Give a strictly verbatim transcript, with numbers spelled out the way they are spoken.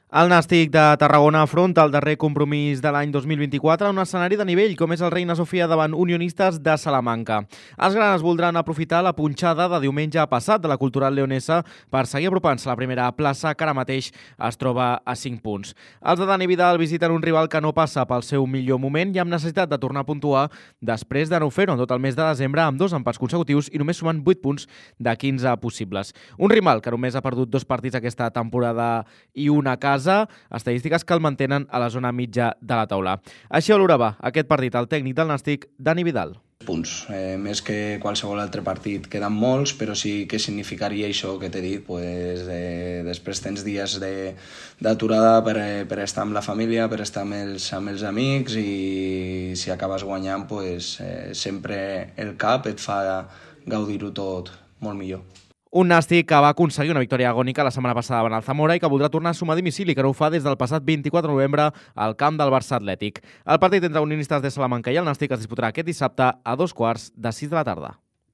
El Nàstic de Tarragona afronta el darrer compromís de l'any dos mil vint-i-quatre en un escenari de nivell com és el Reina Sofia davant Unionistes de Salamanca. Els granes voldran aprofitar la punxada de diumenge passat de la Cultural Leonesa per seguir apropant-se a la primera plaça, que ara mateix es troba a cinc punts. Els de Dani Vidal visiten un rival que no passa pel seu millor moment i amb necessitat de tornar a puntuar després de no fer-ho en tot el mes de desembre amb dos empats consecutius i només sumant vuit punts de quinze possibles. Un rival que només ha perdut dos partits aquesta temporada i una a casa, estadístiques que el mantenen a la zona mitja de la taula. Així valorava aquest partit el tècnic del Nàstic, Dani Vidal. Punts. Eh, més que qualsevol altre partit queden molts, però sí que significaria això que t'he dit. Pues, eh, després tens dies d'aturada per, per estar amb la família, per estar amb els, amb els amics, i si acabes guanyant, pues, eh, sempre el cap et fa gaudir-ho tot molt millor. Un Nàstic que va aconseguir una victòria agònica la setmana passada davant el Zamora i que voldrà tornar a sumar a domicili, que no ho fa des del passat vint-i-quatre de novembre al camp del Barça Atlètic. El partit entre Unionistes de Salamanca i el Nàstic es disputarà aquest dissabte a dos quarts de sis de la tarda.